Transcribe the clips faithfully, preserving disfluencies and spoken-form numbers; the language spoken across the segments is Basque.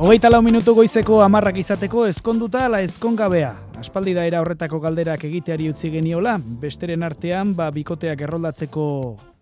Hogeita lau minutu goizeko hamarrak izateko ezkonduta ala ezkongabea. Aspaldi da era horretako galderak egiteari utzi geniola, besteren artean ba bikoteak erroldatzeko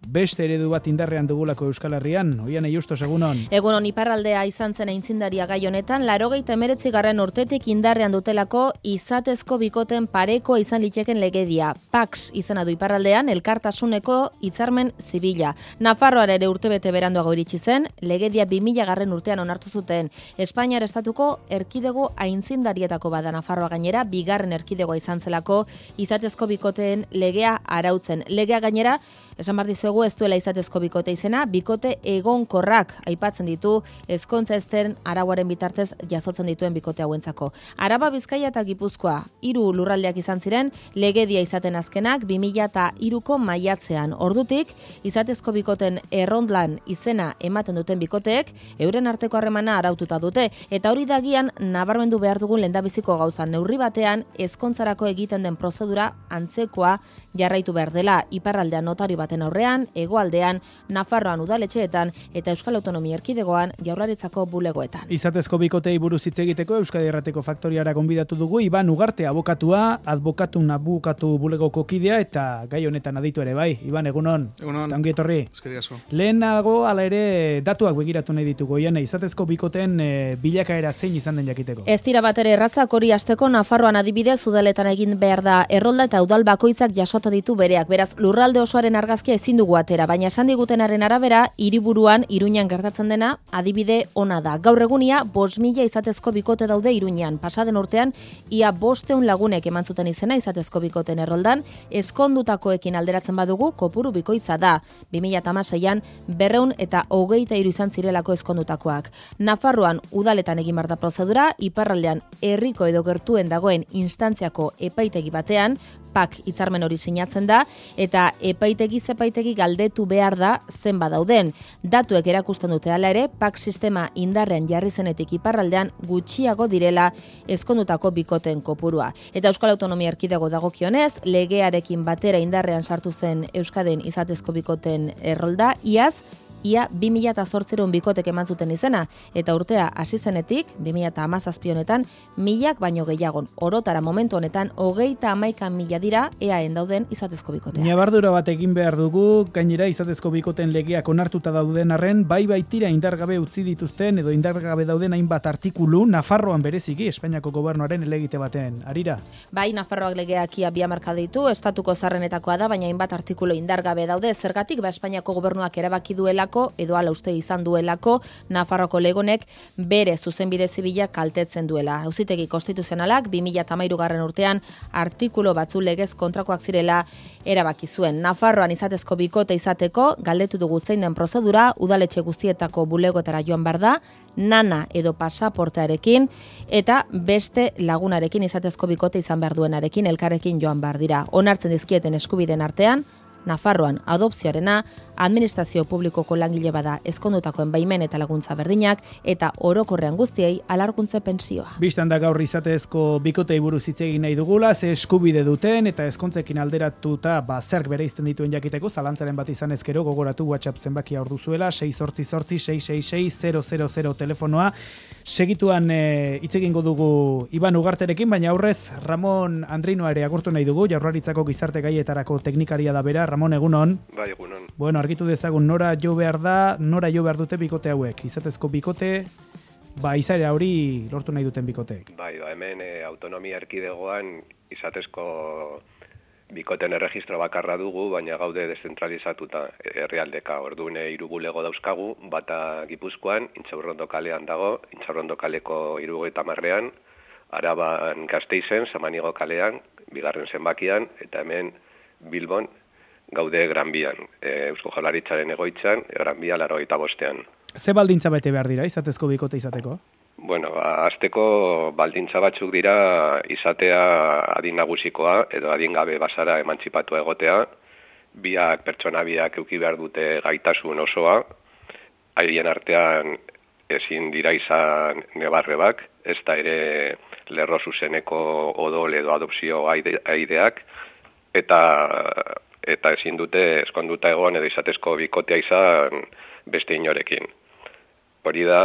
beste eredu bat indarrean dugulako Euskal Herrian. Oian Justos, egunon. Egunon, iparraldea izan zen aitzindaria gai honetan, laurogeita hemeretzigarren urtetik indarrean dutelako izatezko bikoten pareko izan liteken legedia. Pax izena du iparraldean, elkartasuneko hitzarmen zibila. Nafarroan ere urtebete beranduago iritsi zen, legedia bi mila garren urtean onartu zuten. Espainiar estatuko erkidego aintzindarietako bada Nafarroa gainera, bigarren erkidegoa izan zelako izatezko bikoteen legea arautzen. Legea gainera, esan behar dizuegu ez duela izatezko bikote izena, bikote egonkorrak aipatzen ditu ezkontza ezten arauaren bitartez jasotzen dituen bikote hauentzako. Araba, Bizkaia eta Gipuzkoa, hiru lurraldeak izan ziren, legedia izaten azkenak bi mila hiruko maiatzean. Ordutik, izatezko bikoten errondlan izena ematen duten bikoteek, euren arteko harremana araututa dute, eta hori dagian nabarmendu behar dugun lehendabiziko gauza, neurri batean ezkontzarako egiten den prozedura antzekoa jarraitu behar dela, iparraldean notario baten aurrean, hegoaldean, Nafarroan udaletxeetan eta Euskal Autonomia Erkidegoan Jaurlaritzako bulegoetan. Izatezko bikotei buruz hitz egiteko Euskadi Irratiko Faktoriara gonbidatu dugu Iban Ugarte abokatua, adbokatu nabukatu bulegoko kidea eta gai honetan aditu ere bai. Iban, egunon. Egunon. Ongi etorri. Eskerrik asko. Lehenago hala ere datuak begiratu nahi ditugu. Oian, izatezko bikoten e, bilakaera zein izan den jakiteko. Ez dira batere errazak hori hasteko Nafarroan adibidez udaletan egin behar da errolda eta udal bakoitzak jasota ditu bereak. Beraz, lurralde osoaren argazkia ezin dugu atera, baina esan digutenaren arabera, hiriburuan Iruñan gertatzen dena adibide ona da. Gaur egunia bost mila izatezko bikote daude Iruñan. Pasaden urtean ia bosteun lagunek eman zuten izena izatezko bikoten erroldan, ezkondutakoekin alderatzen badugu kopuru bikoitza da. bi mila hamaseian berrehun eta hogeita hiru izan zirelako ezkondutakoak. Nafarroan udaletan egin behar da prozedura, iparraldean herriko edo gertuen dagoen instantziako epaitegi batean, pak hitzarmen hori sinatzen da, eta epaitegi zepaitegi galdetu behar da zenba dauden. Datuek erakusten dute hala ere, pak sistema indarrean jarri zenetik iparraldean gutxiago direla ezkondutako bikoten kopurua. Eta Euskal Autonomia Erkidego dagokionez, legearekin batera indarrean sartu zen Euskadin izatezko bikoten errolda, iaz, ia bi mila zortziehun bikotek eman zuten izena, eta urtea hasi zenetik, bi mila hamazazpi honetan, milak baino gehiagon. Orotara momentu honetan, hogeita hamaika mila dira eaen dauden izatezko bikoteak. Ñabardura bat egin behar dugu, gainera izatezko bikoten legeak onartuta dauden arren, bai baitira indargabe utzi dituzten edo indargabe dauden hainbat artikulu, Nafarroan bereziki, Espainiako gobernuaren elegite baten, arira? Bai, Nafarroak legeak ia bi hamarka ditu, estatuko zarrenetakoa da, baina hainbat artikulu indargabe daude, zergatik ba Espainiako gobernuak erabaki duela edo ala uste izan duelako Nafarroko legonek bere zuzenbide zibila kaltetzen duela. Auzitegi konstituzionalak bi mila hamairugarren urtean artikulu batzu legez kontrakoak zirela erabaki zuen. Nafarroan izatezko bikote izateko galdetu dugu zein den prozedura, udaletxe guztietako bulegoetara joan behar da, nana edo pasaportearekin eta beste lagunarekin izatezko bikote izan behar duenarekin elkarrekin joan behar dira. Onartzen dizkieten eskubideen artean, Nafarroan adopzioarena, administrazio publikoko langile bada ezkondutakoen baimen eta laguntza berdinak, eta orokorrean guztiei alarguntze pentsioa. Bistan da gaur izatezko bikotei buruz hitz egin nahi dugula, ze eskubide duten eta ezkontzekin alderatuta ba zerk bereizten dituen jakiteko, zalantzaren bat izan ezkero gogoratu WhatsApp zenbakia hor duzuela, sei zortzi zortzi sei sei sei zero zero zero telefonoa. Segituan hitz e, egingo dugu Iban Ugarterekin, baina aurrez Ramon Andrinoa ere agurtu nahi dugu, Jaurlaritzako gizarte gaietarako teknikaria da bera. Ramon, egunon. Bai, egunon. Bueno, argitu dezagun nora jo behar da, nora jo behar dute bikote hauek. Izatezko bikote, ba, izaera hori lortu nahi duten bikoteek. Bai, ba, hemen e, autonomia erkidegoan izatezko bikoten erregistro bakarra dugu, baina gaude deszentralizatuta herrialdeka. Orduan hiru bulego dauzkagu, bata Gipuzkoan, Intxaurrondo kalean dago, Intxaurrondo kaleko hirurogeita hamarrean, Araban Gasteizen, Samanigo kalean, bigarren zenbakian, eta hemen Bilbon gaude Gran Bian, e, Eusko Jaurlaritzaren egoitzan, Gran Bia laurogeita bostean. Ze baldintza bete behar dira izatezko bikote izateko? Bueno, hasteko baldintza batzuk dira izatea adin nagusikoa edo adin gabe bazara emantzipatu egotea, biak pertsona biak eduki behar dute gaitasun osoa, haien artean ezin dira izan nebarrebak, ez da ere lerro zuzeneko odol edo adopzio aideak, eta eta ezin dute ezkonduta egon edo izatezko bikotea izan beste inorekin. Hori da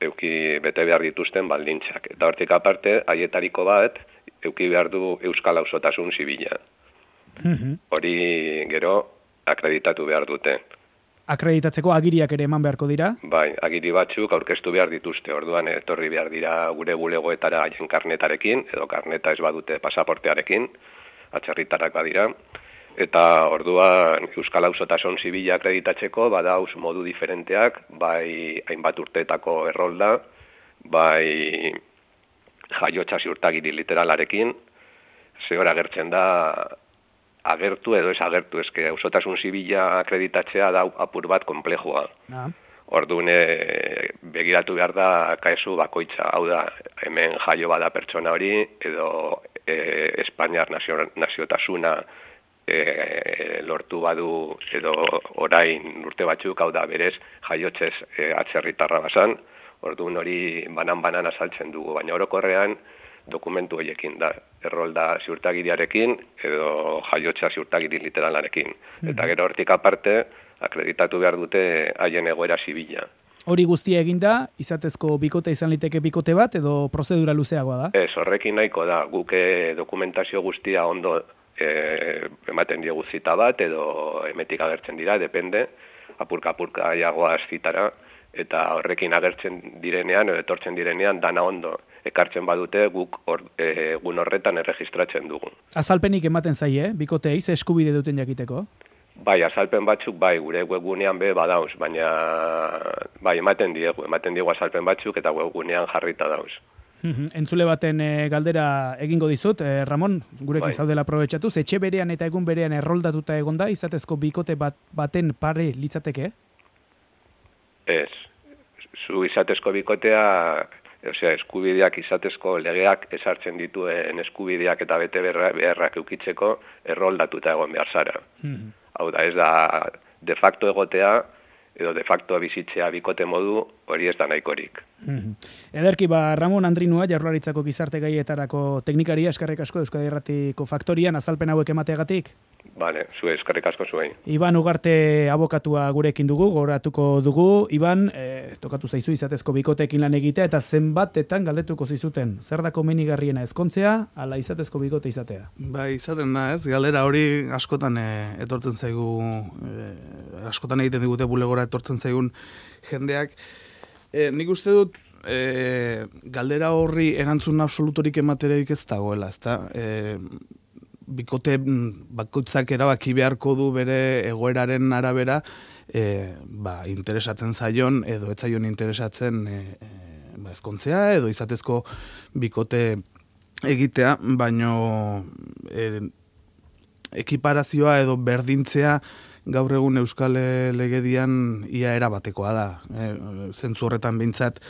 euki bete behar dituzten baldintzak. Eta hortik aparte, haietariko bat, euki behar du euskal auzotasun zibila. Hori gero akreditatu behar dute. Akreditatzeko agiriak ere eman beharko dira? Bai, agiri batzuk aurkeztu behar dituzte, orduan etorri behar dira gure bulegoetara haien karnetarekin, edo karneta ez badute pasaportearekin, atzerritarrak badira, eta orduan euskal auzotasun zibila akreditatzeko badauz modu diferenteak, bai hainbat urteetako errolda, bai jaiotza ziurtagiri literalarekin, zehor agertzen da agertu edo ez agertu, eske auzotasun zibila akreditatzea da apur bat komplejua. Ah. Orduan begiratu behar da kaesu bakoitza, hau da, hemen jaio bada pertsona hori, edo e, Espainiar nazio, naziotasuna e, lortu badu, edo orain urte batzuk, hau da, berez jaiotzez e, atzerritarra basan, orduan hori banan-banan azaltzen dugu, baina orokorrean dokumentu horiekin da, errolda ziurtagiriarekin edo jaiotza ziurtagiri literalarekin. Mm-hmm. Eta gero hortik aparte, akreditatu behar dute haien egoera zibila. Hori guztia eginda, izatezko bikote izan liteke bikote bat edo prozedura luzeagoa da? Ez, horrekin nahiko da, guke dokumentazio guztia ondo e, ematen diogu zita bat edo emetik agertzen dira, depende, apurka-apurka jagoaz zitara, eta horrekin agertzen direnean, edo etortzen direnean, dana ondo ekartzen badute guk or, e, egun horretan erregistratzen dugu. Azalpenik ematen zaie, eh? Bikoteei, ze eskubide duten jakiteko? Bai, azalpen batzuk, bai, gure webgunean be badauz, baina bai, ematen diegu, ematen diegu azalpen batzuk eta webgunean jarrita dauz. Entzule baten e, galdera egingo dizut, e, Ramon, gurekin bai. Zaudela aprobetxatuz, etxe berean eta egun berean erroldatuta egonda, izatezko bikote bat, baten pare litzateke? Ez, zu izatezko bikotea, osea, eskubideak izatezko legeak esartzen dituen eskubideak eta bete beharrak eukitzeko erroldatuta egon behar zara. Mm-hmm. Hau da, ez da de facto egotea edo de facto bizitzea bikote modu, hori ez da nahikorik. Mm-hmm. Ederki, ba, Ramon Andrinua, Jaurlaritzako gizarte gaietarako teknikaria, eskerrik asko Euskadi Irratiko Faktorian, azalpen hauek emateagatik. Bale, zue, eskerrik asko zuen. Iban Ugarte abokatua gurekin dugu, goratuko dugu. Iban, e, tokatu zaizu izatezko bikoteekin lan egitea, eta zenbatetan galdetuko zizuten. Zer da komenigarriena ezkontzea, ala izatezko bikote izatea? Ba, izaten da, ez? Galera hori askotan e, etortzen zaigu, e, askotan egiten digute bulegora etortzen zaigun jendeak. E, nik uste dut, e, galdera horri erantzun absolutorik ematereik ez dagoela, ez da? E, bikote bakoitzak erabaki beharko du bere egoeraren arabera e, ba, interesatzen zaion edo ez zaion interesatzen e, e, ba, ezkontzea edo izatezko bikote egitea, baino e, ekiparazioa edo berdintzea gaur egun Euskal Legedian ia erabatekoa da. E, zentzu horretan behintzat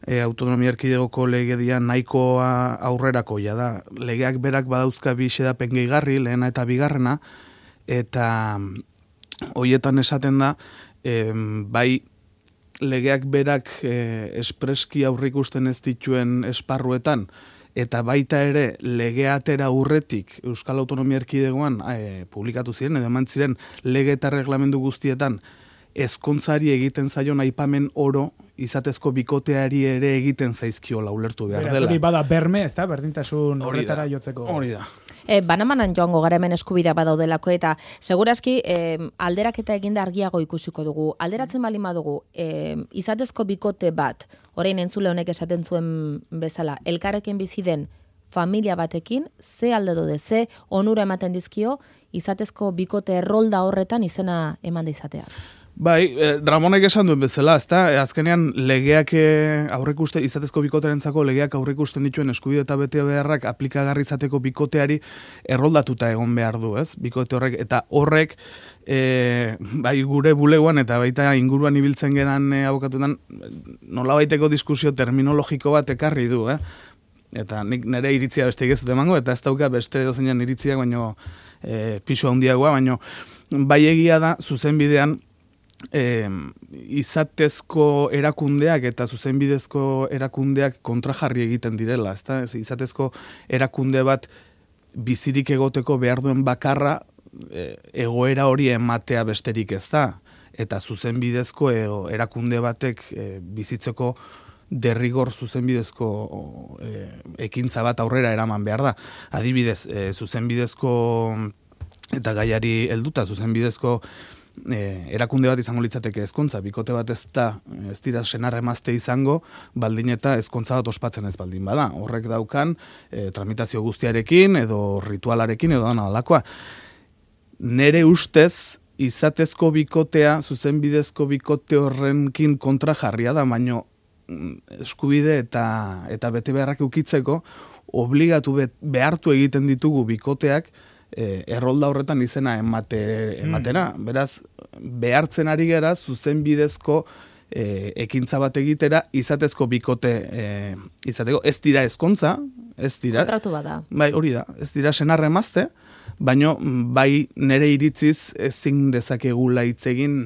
E, autonomia erkidegoko legedia nahikoa aurrerakoia da. Legeak berak badauzka bi xedapen gehigarri, lehena eta bigarrena, eta hoietan esaten da, e, bai legeak berak e, espreski aurrikusten ez dituen esparruetan, eta baita ere legea atera urretik Euskal Autonomia Erkidegoan e, publikatu ziren, edo eman ziren lege eta reglamendu guztietan, ezkontzari egiten zaion aipamen oro, izatezko bikoteari ere egiten zaizkiola ulertu behar dela. Hori bada berme, ez da, berdintasun horretara jotzeko. Hori da. E, banamanan joango gara hemen eskubidea badaudelako, eta segurazki e, alderaketa eginda argiago ikusiko dugu. Alderatzen bali badugu, e, izatezko bikote bat, orain entzule honek esaten zuen bezala, elkarrekin bizi den familia batekin, ze alde dode, ze onura ematen dizkio, izatezko bikote errolda horretan izena eman da izatea. Bai, eh, Ramonek esan duen bezala, ezta? E, azkenean legeak eh, aurrikuste izatezko bikoterentzako legeak aurrikusten dituen eskubide eta bete beharrak aplikagarri izateko bikoteari erroldatuta egon behar du, ez? Bikote horrek eta horrek eh, bai gure bulegoan eta baita inguruan ibiltzen geran eh, abokatutan nolabaiteko diskusio terminologiko bat ekarri du, eh? Eta nik nire iritzia beste ez dut emango, eta ez dauka beste dozeinan iritziak, baino eh, pisu handiagoa, baino bai egia da zuzenbidean E, izatezko erakundeak eta zuzenbidezko erakundeak kontrajarri egiten direla, ezta? Izatezko erakunde bat bizirik egoteko behar duen bakarra e, egoera hori ematea besterik ez da, eta zuzenbidezko e, erakunde batek e, bizitzeko derrigor zuzenbidezko e, ekintza bat aurrera eraman behar da. Adibidez, e, zuzenbidezko eta gaiari helduta zuzenbidezko E, erakunde bat izango litzateke ezkontza, bikote bat ez da, ez dira senar emazte izango, baldin eta ezkontza bat ospatzen ez baldin bada. Horrek daukan e, tramitazio guztiarekin edo ritualarekin edo dana dalakoa. Nere ustez, izatezko bikotea, zuzenbidezko bikote horrenkin kontra jarria da, baino eskubide eta, eta bete beharrak ukitzeko, obligatu bet, behartu egiten ditugu bikoteak, E, errolda horretan izena emate, ematera. Mm. Beraz, behartzen ari gara zuzenbidezko e, ekintza bat egitera, izatezko bikote e, izateko. Ez dira ezkontza, ez dira. Kontratu bada. Bai, hori da. Ez dira senarre emazte, baino bai nere iritziz ezin dezakegula hitz egin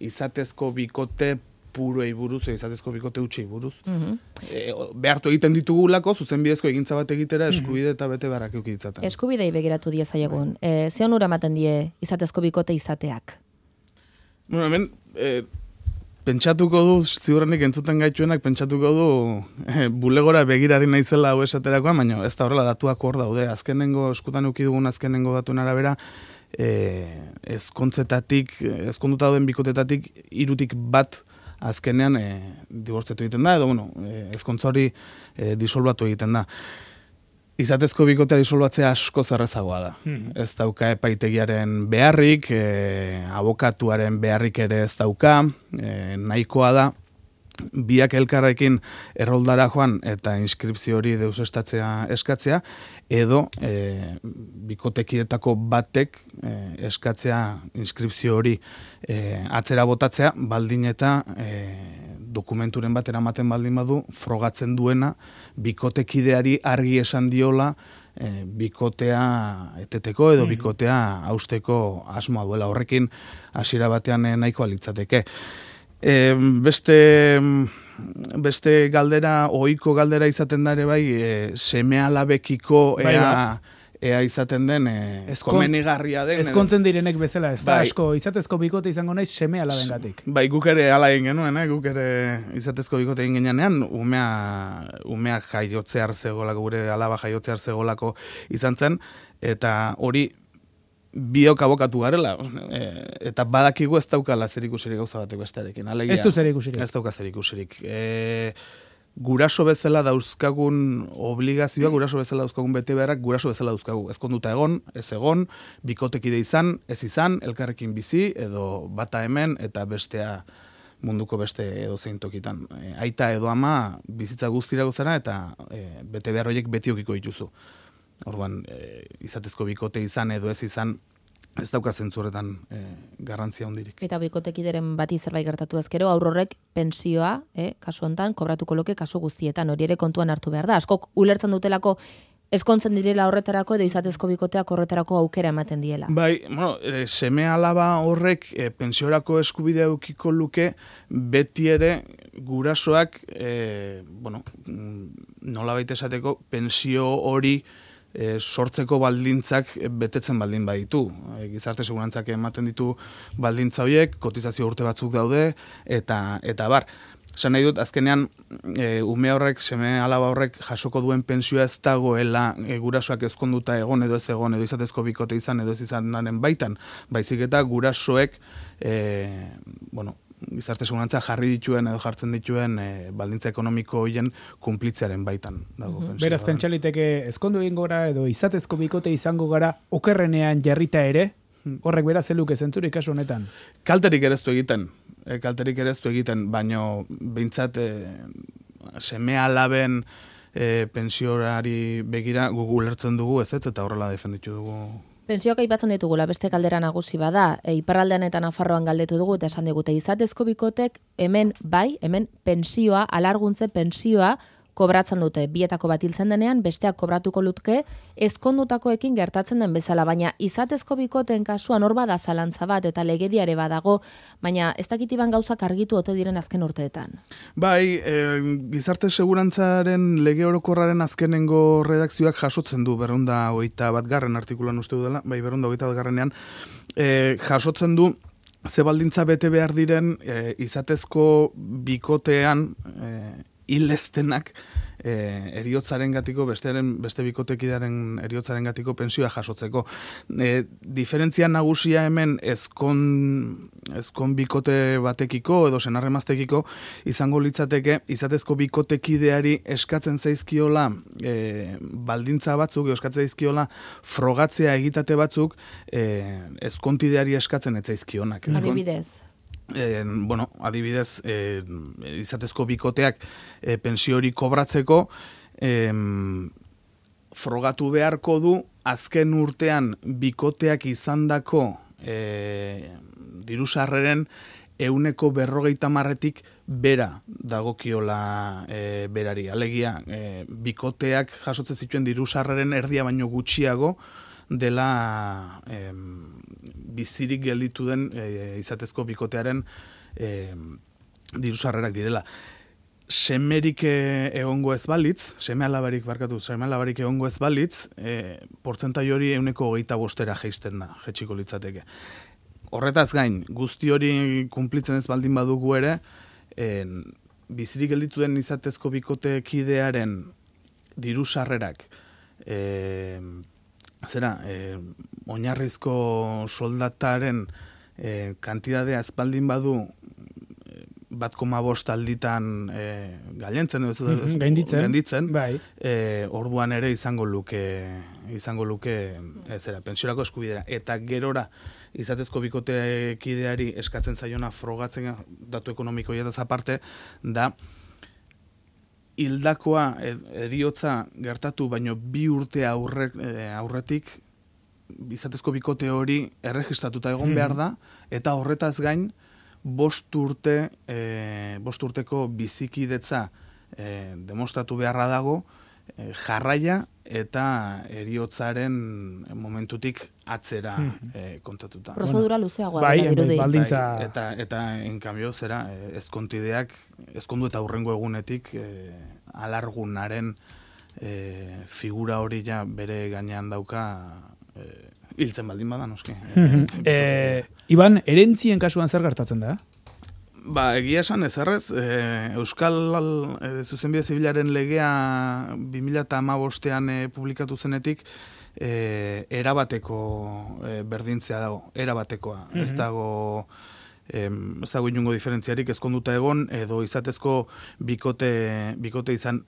izatezko bikote puruei buruz, izatezko bikote utxei buruz. Mm-hmm. e, behartu egiten ditugulako, zuzenbidezko egintza bat egitera, eskubide eta bete beharrak eukitzaten. Eskubidei begiratu diezaiegun. E, ze onura ematen die izatezko bikote izateak? Bueno, hemen, e, pentsatuko du, ziurrenik entzuten gaituenak, pentsatuko du e, bulegora begirari naizela hau esaterakoa, baina ez da horrela datuak hor daude. Azkenengo, eskutan euki dugun azkenengo datuen arabera, e, ezkontzetatik, ezkonduta dauden bikotetatik, irutik bat azkenean e, dibortzetu egiten da, edo bueno, e, ezkontza hori e, disolbatu egiten da. Izatezko bikotea disolbatzea asko zerrezagoa da. Hmm. Ez dauka epaitegiaren beharrik, e, abokatuaren beharrik ere ez dauka, e, nahikoa da, biak elkarrekin erroldara joan eta inskripzio hori deusestatzea eskatzea, edo e, bikotekietako batek e, eskatzea inskripzio hori e, atzera botatzea, baldin eta e, dokumenturen bat eramaten baldin badu, frogatzen duena, bikotekideari argi esan diola, e, bikotea eteteko edo bikotea hausteko asmoa duela. Horrekin hasiera batean e, nahikoa litzateke. E, beste, beste galdera, ohiko galdera izaten da ere bai, e, seme alabekiko ea, bai, bai. ea izaten den, e, komenigarria den. Ezkontzen direnek bezala, ez da, bai. Asko, izatezko bikote izango naiz seme alabengatik. Bai, guk ere ala egin genuen, eh? Guk ere izatezko bikote egin genean, umea, umea jaiotze arzegolako, gure alaba jaiotze arzegolako izan zen, eta hori, biok abokatu garela, e, eta badakigu ez daukala zerikusirik gauza batek bestearekin. Alegia, ez du zerikusirik. Ez dauka zerikusirik. E, guraso bezala dauzkagun obligazioa, guraso bezala dauzkagun bete beharrak, guraso bezala dauzkagu. Ezkonduta egon, ez egon, bikotekide izan, ez izan, elkarrekin bizi, edo bata hemen, eta bestea munduko beste edo zein tokitan. E, aita edo ama bizitza guztira gozara, eta e, bete behar horiek betiokiko dituzu. Orduan, e, izatezko bikote izan edo ez izan, ez dauka zentzuretan e, garrantzia hondirik. Eta bikotekideren bati zerbait gertatu ezkero, aurrorrek pensioa, eh, kasu hontan, kobratuko loke kasu guztietan, hori ere kontuan hartu behar da. Askok ulertzen dutelako ezkontzen direla horretarako edo izatezko bikoteak horretarako aukera ematen diela. Bai, bueno, e, seme alaba horrek e, pentsiorako eskubidea eukiko luke, beti ere gurasoak, e, bueno, nola baita esateko, pensio hori E, sortzeko baldintzak betetzen baldin baditu. E, gizarte segurantzak ematen ditu baldintza horiek, kotizazio urte batzuk daude, eta eta bar. Esan nahi dut, azkenean, e, ume horrek, seme alaba horrek jasoko duen pensioa ez dagoela e, gurasoak ezkonduta egon edo ez egon, edo izatezko bikote izan, edo ez izanaren baitan. Baizik eta gurasoek, e, bueno, gizarte segurantza jarri dituen edo jartzen dituen e, baldintza ekonomiko horien kunplitzearen baitan dago. Mm-hmm. Beraz, pentsaliteke ezkondu egin gora edo izatezko bikote izango gara okerrenean jarrita ere, horrek beraz zeluke zentzurik kasu honetan. Kalterik ere ez du egiten, e, kalterik ere ez du egiten, baino behintzat e, seme alaben e, pensiorari begira gugu lertzen dugu ez ez, eta horrela defenditu dugu. Pentsioak aipatzen ditugula, beste galdera nagusi bada, e, iparraldean eta Nafarroan galdetu dugu, eta esan digute izatezko bikotek hemen bai, hemen pensioa, alarguntze pensioa kobratzen dute. Bietako bat hiltzen denean, besteak kobratuko lutke, ezkondutakoekin gertatzen den bezala, baina izatezko bikoten kasuan hor bada zalantza bat, eta legediare badago, baina ez dakitiban gauzak argitu ote diren azken urteetan. Bai, e, gizarte segurantzaren lege orokorraren azkenengo redakzioak jasotzen du berrunda hogeita bat garren artikulan uste dudala, bai berrunda hogeita bat garrenean, e, jasotzen du ze baldintza bete behar diren e, izatezko bikotean e, hileztenak e, eriotzaren gatiko, bestearen, beste bikotekidaren eriotzaren gatiko pensioa jasotzeko. E, diferentzia nagusia hemen ezkon, ezkon bikote batekiko edo senarremaztekiko izango litzateke, izatezko bikotekideari eskatzen zaizkiola e, baldintza batzuk, eskatzen zaizkiola frogatzea egitate batzuk e, ezkontideari eskatzen ez zaizkionak. Adibidez. Eh, bueno, adibidez, eh, izatezko bikoteak eh, pensio hori kobratzeko eh, frogatu beharko du azken urtean bikoteak izandako eh, dirusarreren euneko berrogeita marretik bera dagokiola e, berari. Alegia, e, bikoteak jasotzen zituen dirusarreren erdia baino gutxiago dela e, bizirik gelditu den e, izatezko bikotearen e, dirusarrerak direla. Semerik egongo ez balitz, seme alabarik barkatu, seme alabarik egongo ez balitz, e, portzentai hori euneko hogeita bostera jeisten da, jetxiko litzateke. Horretaz gain, guzti hori kumplitzen ez baldin badugu ere, en, bizirik gelditu den izatezko bikotekidearen dirusarrerak, e, zera, e, oinarrizko soldataren e, kantidadea ez baldin badu bat koma bost alditan e, gailentzen, ez, mm-hmm, gainditzen, gainditzen bai. e, orduan ere izango luke izango luke ezera, pentsiorako eskubidea. Eta gerora izatezko bikotekideari eskatzen zaiona frogatzen datu ekonomikoia da aparte, da hildakoa heriotza gertatu baino bi urte aurre, aurretik izatezko bikote hori erregistratuta egon behar da, eta horretaz gain bost urte, e, bost urteko bizikidetza e, demostratu beharra dago, e, jarraia eta heriotzaren momentutik atzera e, kontatuta. Prozedura luzeagoa bai, dela dirudi. Baldintza... Bai, eta, eta en cambio, zera, ezkontideak, ezkondu eta hurrengo egunetik e, alargunaren e, figura hori ja bere gainean dauka e, hiltzen baldin bada, noski. e, Iban, erentzien kasuan zer gertatzen da? Ba, egia esan ez errez, e, Euskal e, Zuzenbide Zibilaren legea bi mila hamabostean e, publikatu zenetik, e, erabateko e, berdintzea dago, erabatekoa. Mm-hmm. Ez dago... Em, ez dago inungo diferentziarik ezkonduta egon, edo izatezko bikote, bikote izan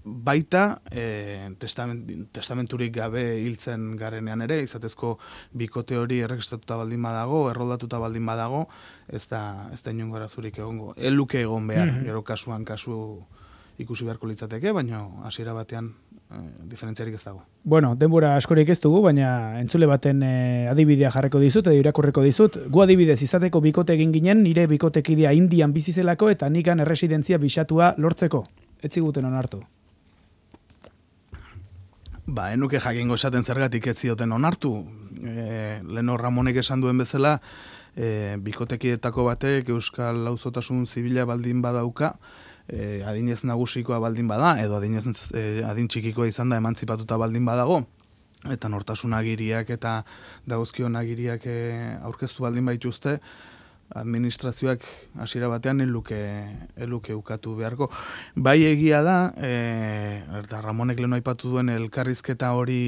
baita e, testament, testamenturik gabe hiltzen garenean ere, izatezko bikote hori erregistratuta baldin badago, erroldatuta baldin badago, ez da, ez da inungo arazurik egongo. Eluke egon behar, mm-hmm. gero kasuan kasu ikusi beharko litzateke, baina hasiera batean e, diferentziarik ez dago. Bueno, denbora askorik ez dugu, baina entzule baten e, adibidea jarreko dizut, edo irakurreko dizut. Gu adibidez izateko bikote egin ginen, nire bikotekidea Indian bizizelako eta nikan erresidentzia bisatua lortzeko. Ez ziguten onartu. Ba, enuke jakingo esaten zergatik ez zioten onartu. E, Leno Ramonek esan duen bezala, e, bikotekietako batek Euskal Auzotasun Zibila baldin badauka, e, adinez nagusikoa baldin bada, edo adinez e, adin txikikoa izan da emantzipatuta baldin badago, eta nortasun agiriak eta dagozkion agiriak e, aurkeztu baldin baituzte, administrazioak hasiera batean eluke, eluke ukatu beharko. Bai egia da, e, eta Ramonek leno aipatu duen elkarrizketa hori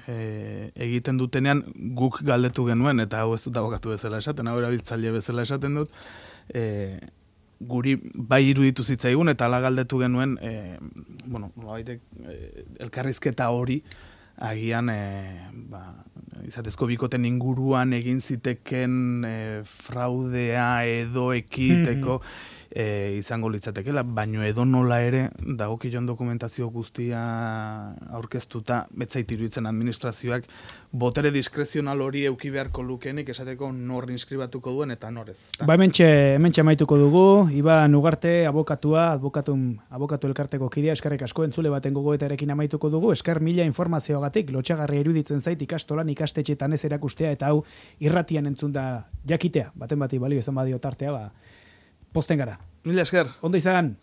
e, egiten dutenean guk galdetu genuen, eta hau ez dut abokatu bezala esaten, hau erabiltzaile bezala esaten dut, e, guri bai iruditu zitzaigun, eta ala galdetu genuen, e, bueno, baitek, e, elkarrizketa hori, agian e, ba, izatezko bikoten inguruan egin ziteken e, fraudea edo ekiteko mm-hmm. e, izango litzatekela, baino edo nola ere dagokien dokumentazio guztia aurkeztuta betzait iruditzen administrazioak botere diskrezional hori euki beharko lukenik esateko nor inskribatuko duen eta norez. Ba, hementxe, hementxe amaituko dugu, Iban Ugarte, abokatua, abokatum, abokatu elkarteko kidea, eskerrik asko entzule baten gogoetarekin amaituko dugu, esker mila informazioagatik, lotxagarri iruditzen zait ikastolan ikastetxetan ez erakustea, eta hau irratian entzun da jakitea, baten bati balio izan badio tartea, ba, posten gara. Mila esker. Ondo izan.